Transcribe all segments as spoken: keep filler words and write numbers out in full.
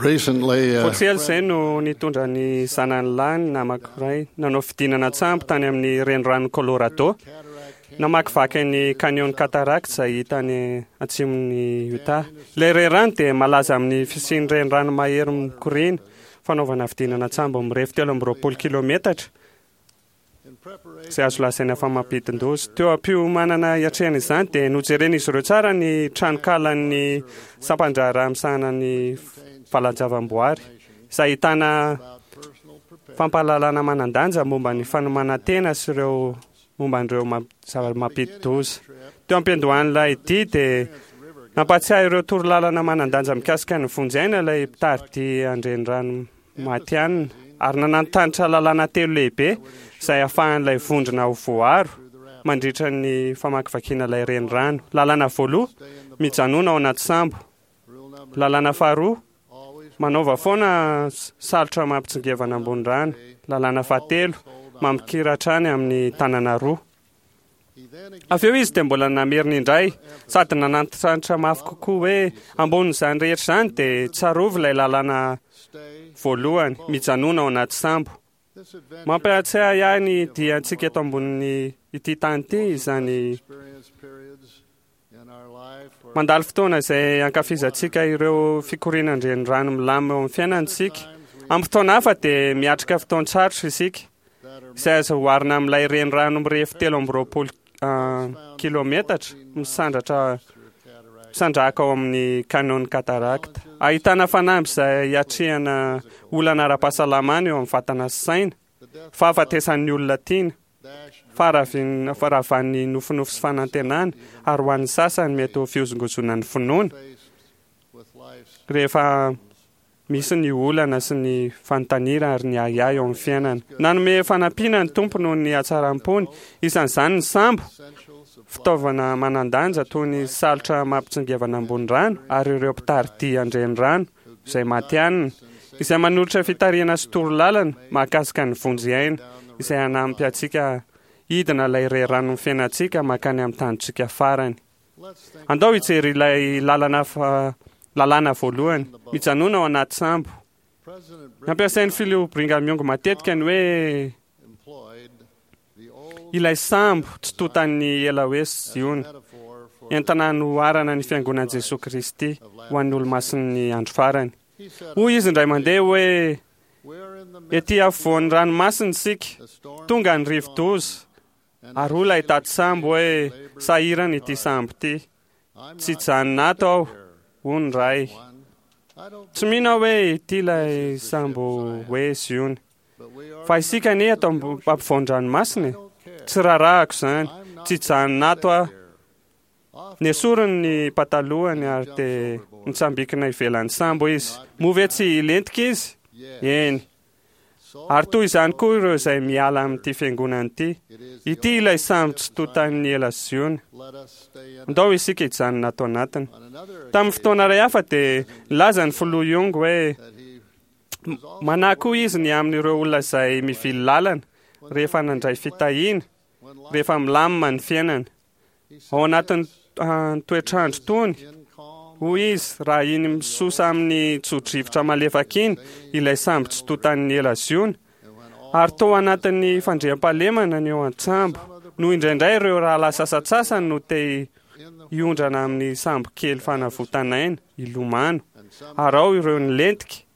Recently, Vao uh, tsy ela izay no nitondra ny zanany lahy ny namako iray nanao fidinana an-tsambo tany amin'ny renirano Colorado. Namakivaky ny Canyon Cataract izay hita any atsimon'ny Utah. Ilay renirano dia malaza amin'ny fisian'ny renirano mahery mikoriana, fanaovana fidinana an-tsambo mirefy telo amby roapolo kilometatra izay azo lazaina fa mampidin-doza. Teo am-piomanana hiatrehana izany dia nojeren'izy ireo tsara ny tranokalan'ny sampan-draharaha misahana ny valan-javaboary izay ahitana fampahalalana manan-danja momba ny fanomanan-tena sy ireo momba an'ireo mamp- zava-mampidi-doza. Teo am-piandohan'ilay dia dia nampatsiahy ireo torolalana manan-danja mikasika ny vonjy aina ilay mpitari-dia an-drenirano matihanina ary nanantanitra lalàna telo lehibe izay ahafahan'ilay vondrona ho voaro mandritra ny famakivakiana ilay renirano. Lalàna voaloha, mijanona ao anaty sambo. Lalàna faharoa, manaova foana salotra mampitsingevana ambony rano. Lalàna fahatelo, mampikira hatrany amin'ny tanana roa. Avy eo izy dia mbola namerina indray sady nanantitrantitra mafy kokoa hoe ambonin'izany rehetra izany dia tsarovy ilay lalàna voalohany, mijanona ao anaty sambo. Mampiatsiahy ahy ny diantsika eto ambonin'ny ity tany ity izany. Mandalo fotoana izay ankafizantsika ireo fikorianan-drenirano milamina eo amin'ny fiainantsika. Amin'ny fotoana hafa dia miatrika fotoan-tsarotra isika izay azo oharina amin'ilay renirano mirefy telo amby roapolo kilometatra misandratra misandrahaka ao amin'ny Canyon Cataract. Ahitana fanamby izay hiatrehana olana ara-pahasalamana eo amin'ny vatana sy saina, fahafatesan'ny olona tiana, faharavin- faharavan'ny nofinofy sy fanantenana, ary ho an'ny sasany mety ho fihozongozonan'ny finoana rehefa misy ny olana sy ny fanontaniana ary ny ahiahy eo amin'ny fiainana. Nanome fanampiana ny Tompo noho ny hatsaram-pony, isan'izany ny sambo, fitaovana manan-danja toy ny salotra mampitsingevana ambony rano ary ireo mpitari-dia an-drenirano izay matihanina, izay manolotra fitarihana sy torolalana mahakasika ny vonjy aina, izay hanampy antsika hidina ilay renirano ny fiainantsika mankany amin'ny tanjontsika farany. Andao hijery ilay lalana fa lalàna voalohany, mijanona ao anaty sambo. Nampiasain'ny filoha Brigham Young matetika ny hoe ilay sambo tsy tontan'ny ela hoe Ziona, entina hanoharana ny fiangonan'i Jesoa Kristy ho an'ny olomasin'ny andro farany. Hoy izy indray mandeha hoe ety afovoan'ny ranomasina isika, tonga ny rivo-doza, ary hoy ilay taty sambo hoe sahirana ity sambo ity, tsy hijanona ato aho, hoy ny ray. Tsy mino aho hoe ity ilay sambo hoe Ziona, fa isika anie ato ampovoan-dranomasina e. Tsy raharahako izany, tsy hijanona ato aho. Nesoriny ny patalohany ary dia nitsambikina ivelan'ny sambo izy. Moa ve tsy hilentika izy? Eny. Ary toy izany koa ireo izay miala amin'ity fiangonana ity. Ity ilay sambo tsy tontan'ny ela Ziona. Andao isika hijanona ato anatiny. Tamin'ny fotoana iray hafa dia nilaza ny filoha Young hoe manahy koa izy ny amin'ireo olona izay mivily lalana rehefa nandray fitahiana, rehefa milamina ny fiainana. Ao anatin'ny toetrandro tony, hoy izy, raha iny misosa amin'ny tso-drivotra malefaka iny ilay sambo tsy tontan'ny ela Ziona, ary tao anatin'ny fandriampahalemana ny eo an-tsambo, no indraindray ireo rahalahy sasantsasany no te hiondrana amin'ny sambo kely fanavotana aina, hilomano, ary ao ireo nilentika,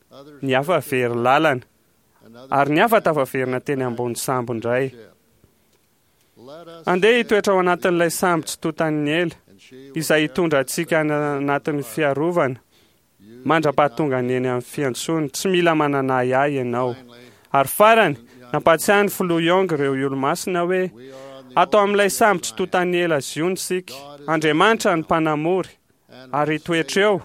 ny hafa very lalana, ary ny hafa tafaverina teny ambony sambo indray. Andeha hitoetra ao anatin'ilay sambo tsy tontan'ny ela, izay hitondra antsika any anatin'ny fiarovana mandra-pahatonga ny eny amin'ny fiantsona. Tsy mila manana ahiahy ianao. Ary farany, nampatsiahy ny filoha Young ireo olomasina hoe ato amin'ilay sambo tsy tontan'ny ela Ziona isika. Andriamanitra ny mpanamory, ary hitoetra eo.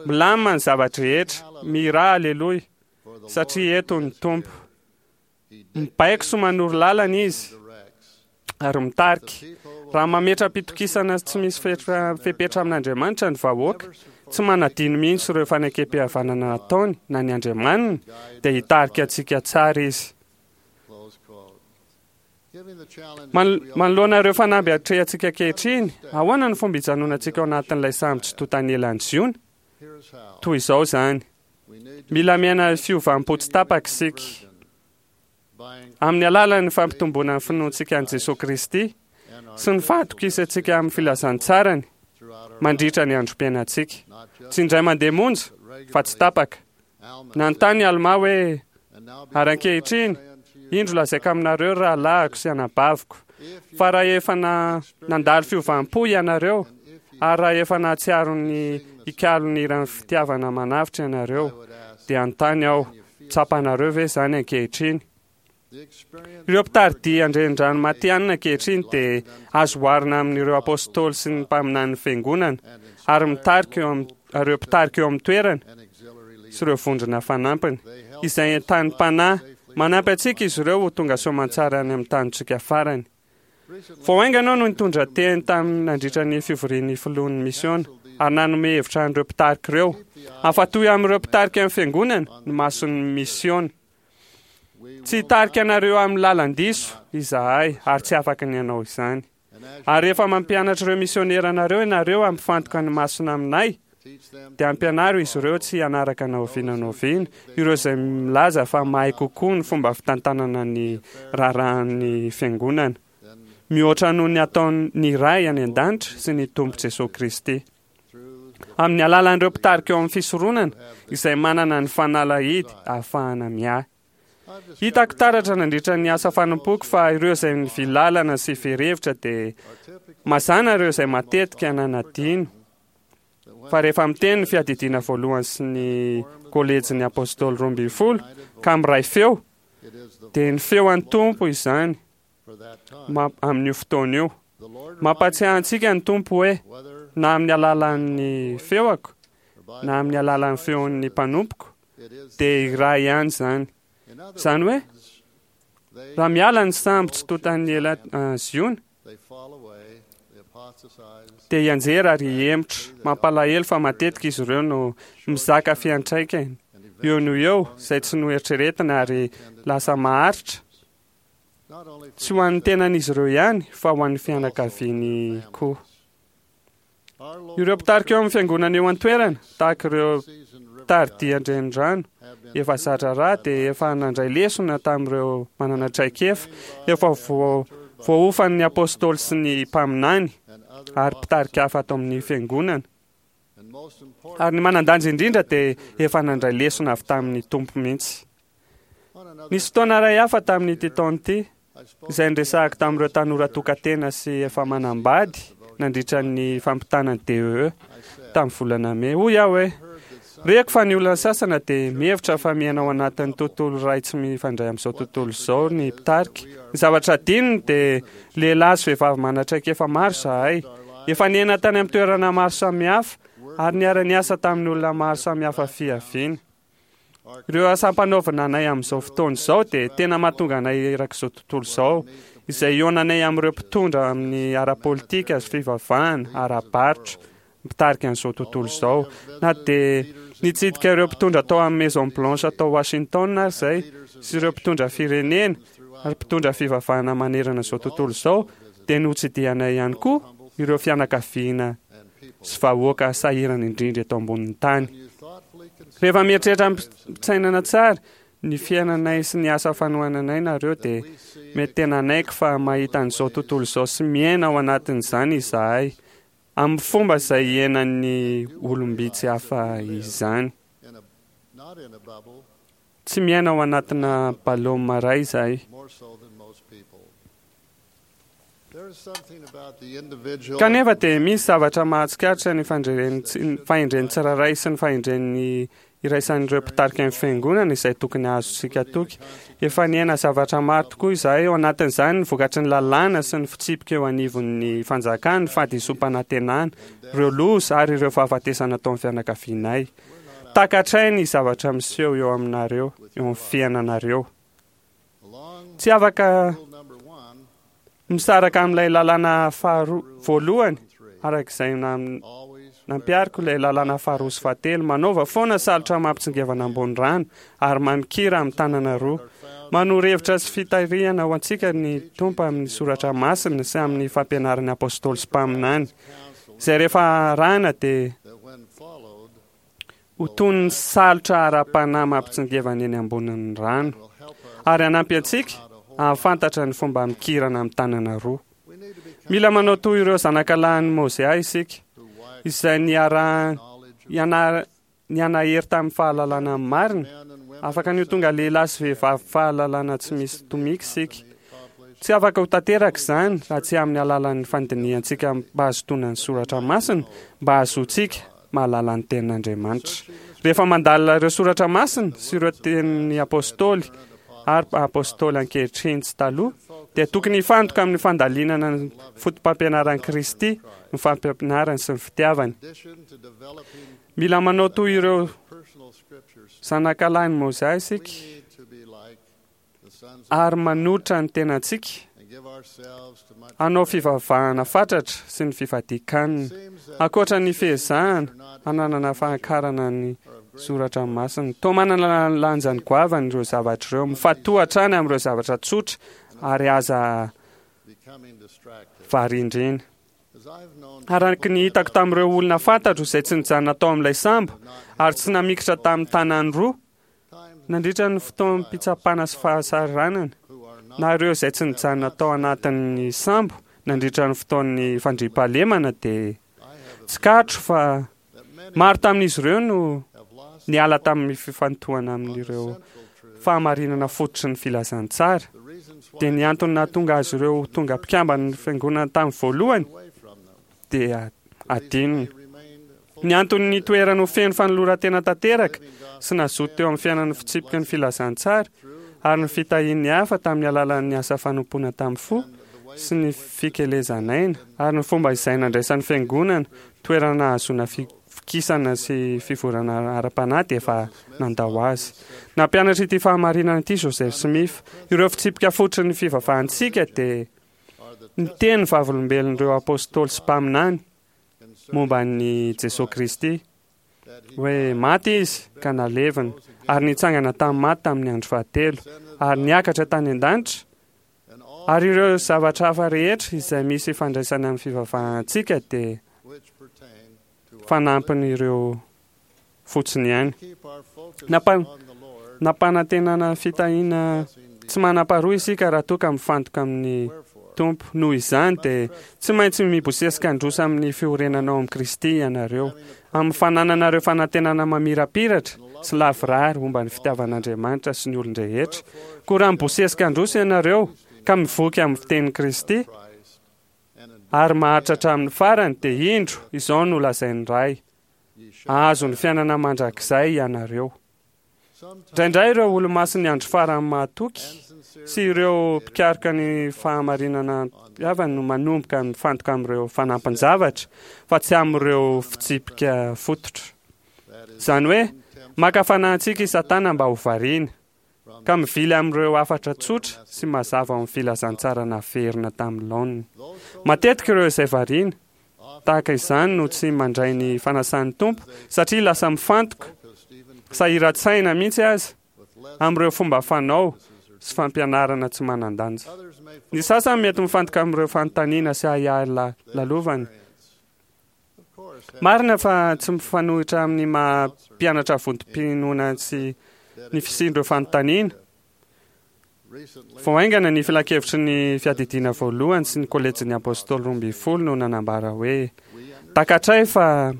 Milamina ny zava-drehetra, mihirà aleloia, satria eto ny Tompo. Mibaiko sy manoro lalana izy ary mitarika. Raha mametra-pitokisana tsy misy fetra fepetra amin'Andriamanitra ny vahoaka, tsy manadino mihitsy ireo fanekem-pihavanana nataony na ny Andriamaniny, dia hitarika antsika tsara izy. Manoloana ireo fanamby atrehantsika ankehitriny, ahoana ny fomba hijanonantsika ao anatin'ilay sambo tsy tontan'ny elan'i Ziona? Toy izao izany. Mila miaina fiovam-po tsy tapaka isika. Amin'ny alalan'ny fampitomboana ny finoantsika an'i Jesoa Kristy sy ny fahatokisantsika amin'ny filazantsarany mandritra ny androm-piainantsika. Tsy indray mandeha monja fa tsy tapaka. Nanontany Almà hoe: ary ankehitriny, indro lazaiko aminareo rahalahiko sy anabaviko, fa raha efa nandalo fiovam-po ianareo, ary raha efa nahatsiaro ny hikalo ny hiran'ny fitiavana manavotra ianareo, dia hanontany aho, tsapanareo ve izany ankehitriny? Ireo mpitari-dia an-drenirano matihanina ankehitriny dia azo oharina amin'ireo apôstôly sy ny mpaminanin'ny fiangonana, ary mitarika eo amin'ny ireo mpitarika eo amin'ny toerana sy ireo vondrona fanampiny, izay entanim-panahy manampy antsika izy ireo ho tonga soamantsara any amin'ny tanintsika farany. Vao haingana aho no nitondra teny tamin'ny nandritra ny fivorian'ny filohan'ny misiona ary nanome hevitra an'ireo mpitarika ireo. Afa-toy amin'ireo mpitarika ny fiangonana ny mason'ny misiona. Tsy hitarika anareo amin'ny lalan-diso izahay ary tsy afaka ny hanao izany. Ary rehefa mampianatra ireo misionera anareo ianareo hampifantoka ny masona aminay, dia ampianaro izy ireo tsy hanaraka na oviana na oviana ireo izay milaza fa mahay kokoa ny fomba fitantanana ny raharahan'ny fiangonana, mihoatra noho ny ataon'ny Ray any an-danitra sy ny Tompo Jesoa Kristy. Amin'ny alalan'ireo mpitarika eo amin'ny fisoronana izay manana ny fanalahidy ahafahana miahy. Hitako taratra nandritra ny asa fanompoako fa ireo izay nivily lalana sy very hevitra dia mazàna ireo izay matetika nanadino fa rehefa miteny ny fiadidiana voalohany sy ny kolejin'ny apôstôly roa ambin'ny folo ka miray feo, dia ny feo an'ny Tompo izany amin'io fotoana io. Mampatsiahy antsika ny Tompo hoe na amin'ny alalan'ny feoako na amin'ny alalan'ny feon'ny mpanompoko dia iray ihany izany. Izany hoe raha miala ny sambo tsy tontan'ny ela Ziona dia hianjera ary hihemotra. Mampalahelo fa matetika izy ireo no mizaka fiantraikany eo no eo izay tsy noeritreretina ary lasa maharitra, tsy ho an'ny tenan'izy ireo ihany fa ho an'ny fianakaviany koa. Ireo mpitarika eo amin'ny fiangonana eo an-toerana, tahaka ireo mpitari-dia an-drenirano efa zatra-raha, dia efa nandray lesona tamin'ireo manana traikefa efa voaofan'ny apôstôly sy ny mpaminany ary mpitarika hafa ato amin'ny fiangonana. Ary ny manan-danja indrindra dia efa nandray lesona avy tamin'ny Tompo mihitsy. Nisy fotoana iray hafa tamin'ity taona ity izay niresahako tamin'ireo tanora tokantena sy efa manambady nandritra ny fampitana ny D E E tamin'ny volana mey. Hoy aho hoe, reko fa ny olona sasana dia mihevitra fa miaina ao anatin'ny tontolo iray tsy mifandray amin'izao tontolo izao ny mpitarika. Ny zavatra adinony dia lehilahy sy vehivavy manan-traikefa maro izahay. Efa niaina tany amin'ny toerana maro samihafa ary niara-niasa tamin'ny olona maro samihafa fiaviana. Ireo asa ampanaovina anay amin'izao fotoana izao dia tena mahatonga anay erak'izao tontolo izao, izay hihaonanay amin'ireo mpitondra amin'ny ara-politika sy fivavahana, ara-barotra, mpitarika an'izao tontolo izao. Na dia nitsidika ireo mpitondra tao amin'ny Maison Blanche tao Washington ary izay, sy ireo mpitondra firenena ary mpitondra fivavahana manerana izao tontolo izao, dia notsidihanay ihany koa ireo fianakaviana sy vahoaka sahirana indrindra eto ambonin'ny tany. Rehefa mieritreritra amim-pitsainana tsara ny fiainanay sy ny asa fanohananay nareo dia mety tena hanaiky fa mahita an'izao tontolo izao sy miaina ao anatin'izany izahay amin'ny fomba izay iainan'ny olom-bitsy hafa izany. Tsy miaina ao anatina ballon iray izahay. Kanefa dia misy zavatra mahatsikaritra ny fahendren'ny tsirairay sy ny fahendren'ny iraisan'ireo mpitarika ny fiangonana izay tokony hahazotsika toky. Efa niaina zavatra maro tokoa izahay, ao anatin'izany ny vokatry ny lalàna sy ny fitsipika eo anivon'ny fanjakana, ny fahadisoam-panantenana, ireo loza ary ireo fahafatesana tao amin'ny fianakavianay. Takatray ny zavatra miseho eo aminareo, eo amin'ny fiainanareo. Tsy afaka misaraka amin'ilay lalàna faharoa voalohany araka izay nampihariko ilay lalàna faharoa sy fahatelo. Manaova foana salotra mampitsingevana ambony rano ary mamikira amin'ny tanana roa. Manoro hevitra sy fitarihana ho antsika ny Tompo amin'ny soratra masina sy amin'ny fampianaran'ny apôstôly sy mpaminany, izay rehefa arahina dia ho toy ny salotra ara-panahy mampitsingevana eny ambonin'ny rano ary hanampy antsika hahafantatra ny fomba mikirana amin'ny tanana roa. Mila manao toy ireo zanakalahin'i Mozia isika, izay niara- niana- nianahery tamin'ny fahalalana marina. Afaka ny ho tonga lehilahy sy vehivavy fahalalana tsy misy tomika isika. Tsy afaka ho tanteraka izany raha tsy amin'ny alalan'ny fandinihantsika mba hahazotoana ny soratra masina, mba hahazoantsika mahalala ny tenin'Andriamanitra. Rehefa mandalina ireo soratra masina sy ireo tenin'ny apôstôly ary apôstôly ankehitriny sy taloha, dia tokony hifantoka amin'ny fandalinana ny fotopampianaran'i Kristy, ny fampianarany sy ny fitiavany. Mila manao toy ireo zanakalahin'i Mozia isika ary manolotra ny tenantsika hanao fivavahana fatratra sy ny fifadian-kanina. Ankoatra ny fiezahana hananana fahakarana ny soratra masina, toa manana lanjany goavana ireo zavatra ireo. Mifantoha hatrany amin'ireo zavatra tsotra ary aza varindrina. Araka ny hitako tamin'ireo olona fantatro izay tsy nijanona tao amin'ilay sambo ary tsy namikitra tamin'ny tanany roa nandritra ny fotoam-pitsapana sy fahasahiranana, na ireo izay tsy nijanona tao anatin'ny sambo nandritra ny fotoan'ny fandriampahalemana, dia tsikaritra fa maro tamin'izy ireo no niala tamin'ny fifantohana amin'ireo fahamarinana fototry ny filazantsara. Dia ny antony nahatonga azy ireo ho tonga mpikamban'ny fiangonana tamin'ny voalohany dia adinony. Ny antony nitoerany ho feno fanoloran-tena tanteraka sy nazoto teo amin'ny fiainan'ny fitsipiky ny filazantsara ary ny fitahian'ny hafa tamin'ny alalan'ny asa fanompoana tamin'ny fo sy ny fikelezan'aina ary ny fomba izay nandraisan'ny fiangonana toerana nahazoana fikisana sy fivoarana ara-panahy dia efa nandao azy. Nampianatra ity fahamarinana ity Joseph Smith. Ireo fitsipika fototry ny fivavahantsika dia ny teny vavolombelon'ireo apôstôly sy mpaminany momba an'i Jesoa Kristy, hoe maty izy ka nalevina ary nitsangana tamin'ny maty tamin'ny andro fahatelo ary niakatra tany an-danitra, ary ireo zavatra hafa rehetra izay misy ifandraisana amin'ny fivavahantsika dia fanampin'ireo fotsiny ihany. Nampa- nampanantenana fitahiana tsy manam-paharoa isika raha toa ka mifantoka amin'ny Tompo. Noho izany dia tsy maintsy mibosesika handroso amin'ny fiorenana ao amin'i Kristy ianareo, amin'ny fanananareo fanantenana mamirapiratra sy lavorary momba ny fitiavan'Andriamanitra sy ny olon-drehetra. Koa raha mibosesika handroso ianareo ka mivoky amin'ny fitenin'i Kristy ary maharitra hatramin'ny farany, dia indro izao no lazain'ny Ray: hahazo ny fiainana mandrakizay ianareo. Indraindray ireo olomasin'ny andro farany mahatoky sy ireo mpikaroka ny fahamarinana havany no manomboka mifantoka amin'ireo fanampin-javatra fa tsy amin'ireo fitsipika fototra. Izany hoe maka fanahy antsika i Satana mba ho variana ka mivily amin'ireo hafatra tsotra sy mazava ao amin'ny filazantsara naverina tamin'ny laoniny. Matetika ireo izay variana tahaka izany no tsy mandray ny fanasan'ny Tompo satria lasa mifantoka sahiran-tsaina mihitsy aza amin'ireo fomba fanao sy fampianarana tsy manan-danja. Ny sasany mety mifantoka amin'ireo fanontaniana sy ahiahy lalovany. Marina fa tsy mifanohitra amin'ny maha mpianatra vontom-pinoana sy ny fisian'ireo fanontaniana. Vao haingana ny filankevitry ny fiadidiana voalohany sy ny kolejin'ny apôstôly roa ambin'ny folo no nanambara hoe takatray fa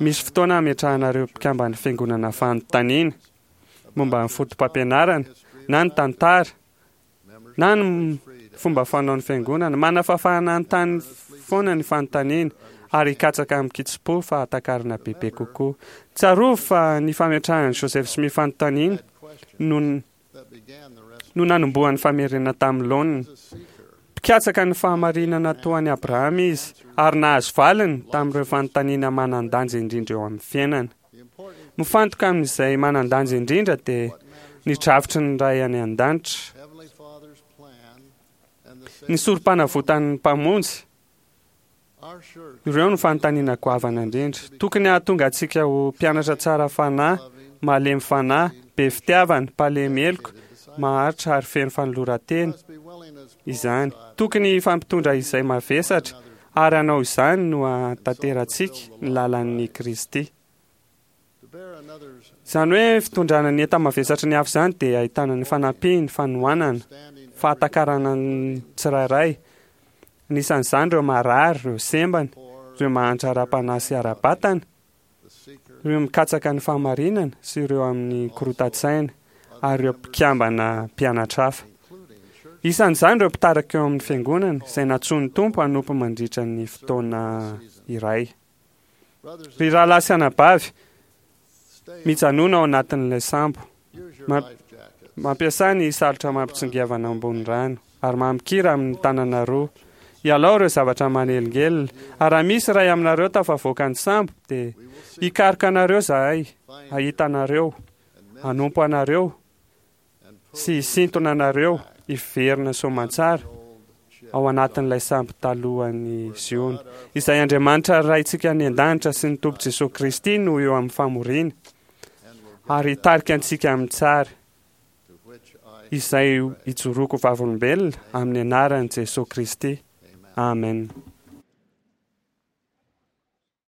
misy fotoana hametrahanareo mpikamban'ny fiangonana fanontaniana momba ny fotopampianarana na ny tantara na ny fomba fanao ny fiangonana. Manana fahafahana hanontany foana ny fanontaniana ary hikatsaka amin-kitsim-po fahatakarana bebe kokoa. Tsarovy fa ny fametrahan'i Joseph Smith fanontaniana no no nanombohan'ny famerenana tamin'ny laoniny. Mpikatsaka ny fahamarinana toa an'i Abrahama izy ary nahazo valiny tamin'ireo fanontaniana manan-danja indrindra eo amin'ny fiainana. Mifantoka amin'izay manan-danja indrindra dia ny drafitry ny Ray any an-danitra, ny sorom-panavotan'ny Mpamonjy. Ireo no fanontaniana goavana indrindra. Tokony hahatonga antsika ho mpianatra tsara fanahy, malemy fanahy, be fitiavana, mpalemy heloka, maharitra ary feno fanoloran-tena izany. Tokony hifampitondra izay mavesatra ary hanao izany no hahatanterahantsika ny lalan'i Kristy. Izany hoe fitondrana ny enta-mavesatry ny hafa izany dia ahitana ny fanampiany, fanohanana, fahatakarana ny tsirairay. Anisan'izany ireo marary, ireo sembana, ireo mahantra ara-panahy sy ara-batana, ireo mikatsaka ny fahamarinana sy ireo amin'ny korotan-tsaina ary ireo mpikambana mpianatra hafa. Isan'izany ireo mpitarika eo amin'ny fiangonana izay nantsoin'ny Tompo hanompo mandritra ny fotoana iray. Ry rahalahy sy anabavy, mijanona ao anatin'ilay sambo. Mampiasà ny salotra mampitsingevana ambony rano ary mamikira amin'ny tanana roa. Ialao ireo zavatra manelingelina. Ary raha misy iray aminareo tafavoaka ny sambo, dia hikaroka anareo izahay, hahita anareo, hanompo anareo sy hisintona anareo hiverina soamantsara ao anatin'ilay sambo talohan'i Ziona, izay Andriamanitra Raintsika any an-danitra sy ny Tompo Jesoa Kristy no eo amin'ny famoriana ary hitarika antsika amin'ny tsara, izay ijoroako vavolombelona amin'ny anaran'i Jesoa Kristy. Amen.